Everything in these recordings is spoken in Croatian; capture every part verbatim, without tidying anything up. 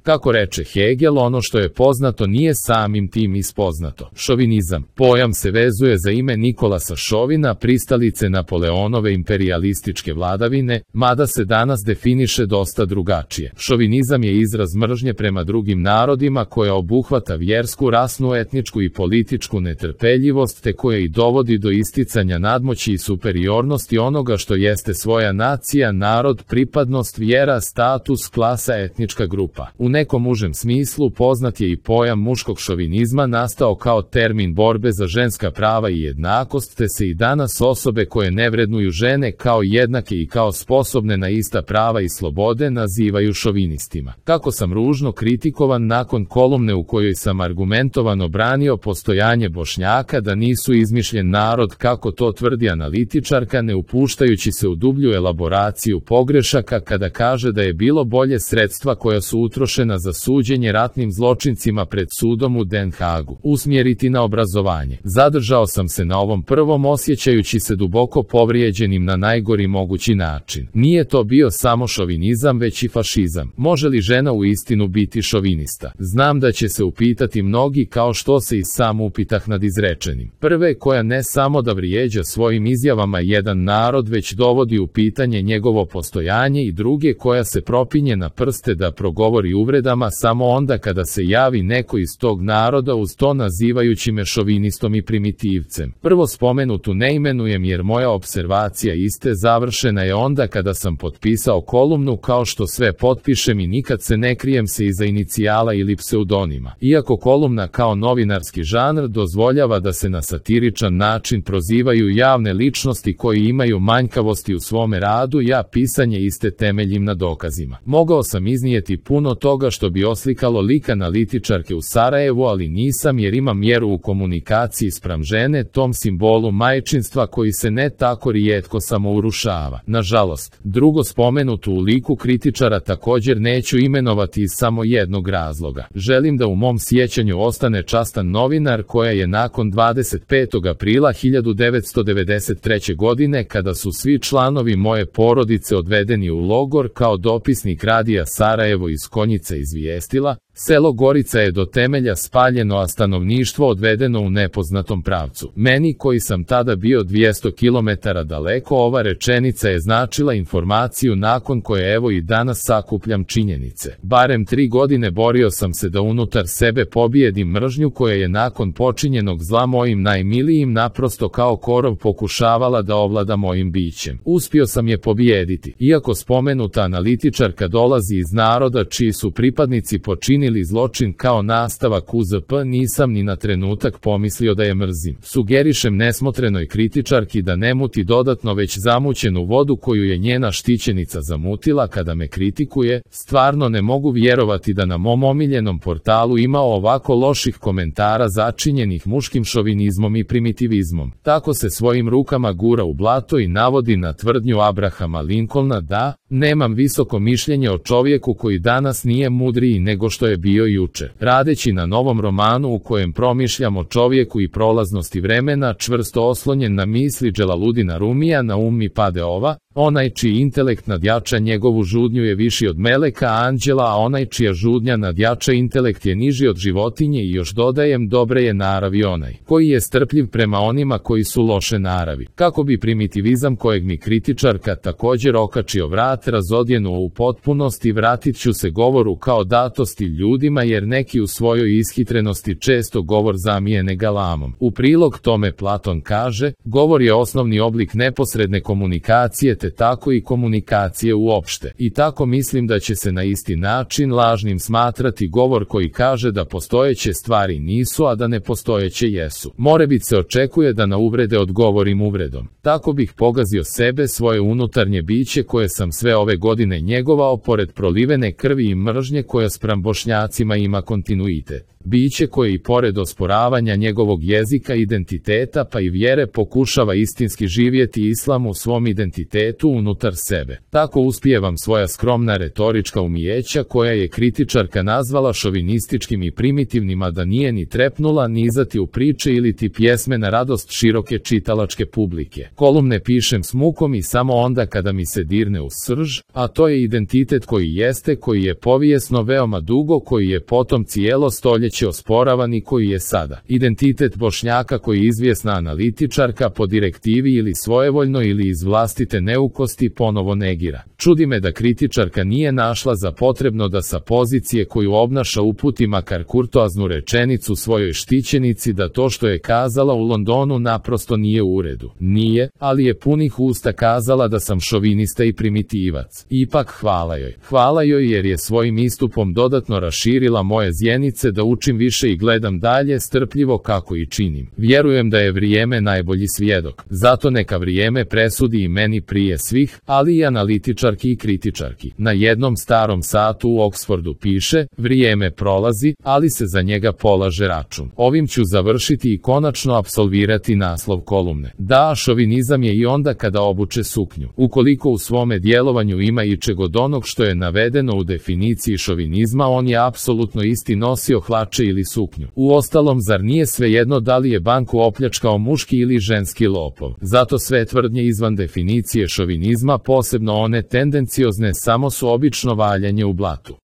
Kako reče Hegel, ono što je poznato nije samim tim ispoznato. Šovinizam. Pojam se vezuje za ime Nikolasa Šovina, pristalice Napoleonove imperijalističke vladavine, mada se danas definiše dosta drugačije. Šovinizam je izraz mržnje prema drugim narodima koja obuhvata vjersku, rasnu, etničku i političku netrpeljivost te koja i dovodi do isticanja nadmoći i superiornosti onoga što jeste svoja nacija, narod, pripadnost, vjera, status, klasa, etnička grupa. U nekom užem smislu poznat je i pojam muškog šovinizma nastao kao termin borbe za ženska prava i jednakost, te se i danas osobe koje ne vrednuju žene kao jednake i kao sposobne na ista prava i slobode nazivaju šovinistima. Kako sam ružno kritikovan nakon kolumne u kojoj sam argumentovano branio postojanje Bošnjaka da nisu izmišljen narod kako to tvrdi analitičarka, ne upuštajući se u dublju elaboraciju pogrešaka kada kaže da je bilo bolje sredstva koja su utrošena za suđenje ratnim zločincima pred sudom u Den Hagu usmjeriti na obrazovanje. Zadržao sam se na ovom prvom osjećajući se duboko povrijeđenim na najgori mogući način. Nije to bio samo šovinizam već i fašizam. Može li žena u istinu biti šovinista? Znam da će se upitati mnogi kao što se i sam upitah nad izrečenim. Prve koja ne samo da vrijeđa svojim izjavama jedan narod već dovodi u pitanje njegovo postojanje i druge koja se propinje na prste da progovori uvredama samo onda kada se javi neko iz tog naroda uz to nazivajući me šovinistom i primitivcem. Prvo spomenutu ne imenujem jer moja observacija iste završena je onda kada sam potpisao kolumnu kao što sve potpišem i nikad se ne krijem se iza inicijala ili pseudonima. Iako kolumna kao novinarski žanr dozvoljava da se na satiričan način prozivaju javne ličnosti koji imaju manjkavosti u svome radu, ja pisanje iste temeljim na dokazima. Mogao sam iznijeti puno toga što bi oslikalo lik analitičarke u Sarajevu, ali nisam jer imam mjeru u komunikaciji spram žene, tom simbolu majčinstva koji se ne tako rijetko samo urušava. Nažalost, drugo spomenutu u liku kritičara također neću imenovati iz samo jednog razloga. Želim da u mom sjećanju ostane častan novinar koja je nakon dvadeset petog aprila hiljadu devetsto devedeset treće. godine, kada su svi članovi moje porodice odvedeni u logor, kao dopisnik radija Sarajevo iz Konjice izvijestila: selo Gorica je do temelja spaljeno, a stanovništvo odvedeno u nepoznatom pravcu. Meni koji sam tada bio dvjesto kilometara daleko, ova rečenica je značila informaciju nakon koje evo i danas sakupljam činjenice. Barem tri godine borio sam se da unutar sebe pobijedim mržnju koja je nakon počinjenog zla mojim najmilijim naprosto kao korov pokušavala da ovlada mojim bićem. Uspio sam je pobijediti. Iako spomenuta analitičarka dolazi iz naroda čiji su pripadnici počinili ili zločin kao nastavak U Z P, nisam ni na trenutak pomislio da je mrzim. Sugerišem nesmotrenoj kritičarki da ne muti dodatno već zamućenu vodu koju je njena štićenica zamutila kada me kritikuje. Stvarno ne mogu vjerovati da na mom omiljenom portalu ima ovako loših komentara začinjenih muškim šovinizmom i primitivizmom. Tako se svojim rukama gura u blato i navodi na tvrdnju Abrahama Lincolna da nemam visoko mišljenje o čovjeku koji danas nije mudriji nego što je bio jučer. Radeći na novom romanu u kojem promišljam o čovjeku i prolaznosti vremena, čvrsto oslonjen na misli Dželaludina Rumija, na um mi pade ova: onaj čiji intelekt nadjača njegovu žudnju je viši od meleka anđela, a onaj čija žudnja nadjača intelekt je niži od životinje, i još dodajem, dobre je naravi onaj koji je strpljiv prema onima koji su loše naravi. Kako bi primitivizam kojeg mi kritičarka također okačio vrat razodjenuo u potpunosti, vratit ću se govoru kao datosti ljudima jer neki u svojoj ishitrenosti često govor zamijene galamom. U prilog tome Platon kaže: govor je osnovni oblik neposredne komunikacije te tako i komunikacije uopšte. I tako mislim da će se na isti način lažnim smatrati govor koji kaže da postojeće stvari nisu, a da nepostojeće jesu. Morebit se očekuje da na uvrede odgovorim uvredom. Tako bih pogazio sebe, svoje unutarnje biće koje sam sve ove godine njegovao pored prolivene krvi i mržnje koja spram Bošnjacima ima kontinuitet. Biće koje i pored osporavanja njegovog jezika, identiteta pa i vjere pokušava istinski živjeti islam u svom identitetu unutar sebe. Tako uspijevam svoja skromna retorička umijeća koja je kritičarka nazvala šovinističkim i primitivnim, a da nije ni trepnula nizati u priče ili ti pjesme na radost široke čitalačke publike. Kolumne pišem s mukom i samo onda kada mi se dirne u srž, a to je identitet koji jeste, koji je povijesno veoma dugo, koji je potom cijelo stoljeće osporavan i koji je sada identitet Bošnjaka koji izvjesna analitičarka po direktivi ili svojevoljno ili iz vlastite neukosti ponovo negira. Čudi me da kritičarka nije našla za potrebno da sa pozicije koju obnaša uputi makar kurtoaznu rečenicu svojoj štićenici da to što je kazala u Londonu naprosto nije u redu. Nije, ali je punih usta kazala da sam šovinista i primitivac. Ipak hvala joj. Hvala joj jer je svojim istupom dodatno raširila moje zjenice da učim više i gledam dalje strpljivo kako i činim. Vjerujem da je vrijeme najbolji svjedok. Zato neka vrijeme presudi i meni prije svih, ali i analitičarki i kritičarki. Na jednom starom satu u Oxfordu piše, vrijeme prolazi, ali se za njega polaže račun. Ovim ću završiti i konačno apsolvirati naslov kolumne. Da, šovinizam je i onda kada obuče suknju. Ukoliko u svome djelovanju ima i čeg od onog što je navedeno u definiciji šovinizma, on je apsolutno isti, nosio hlače ili suknju. Uostalom, zar nije svejedno da li je banku opljačkao muški ili ženski lopov? Zato sve tvrdnje izvan definicije šovinizma, posebno one tendenciozne, samo su obično valjanje u blatu.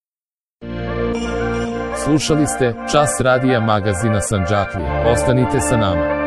Slušali ste Čas radija magazina Sandžaklije. Ostanite sa nama.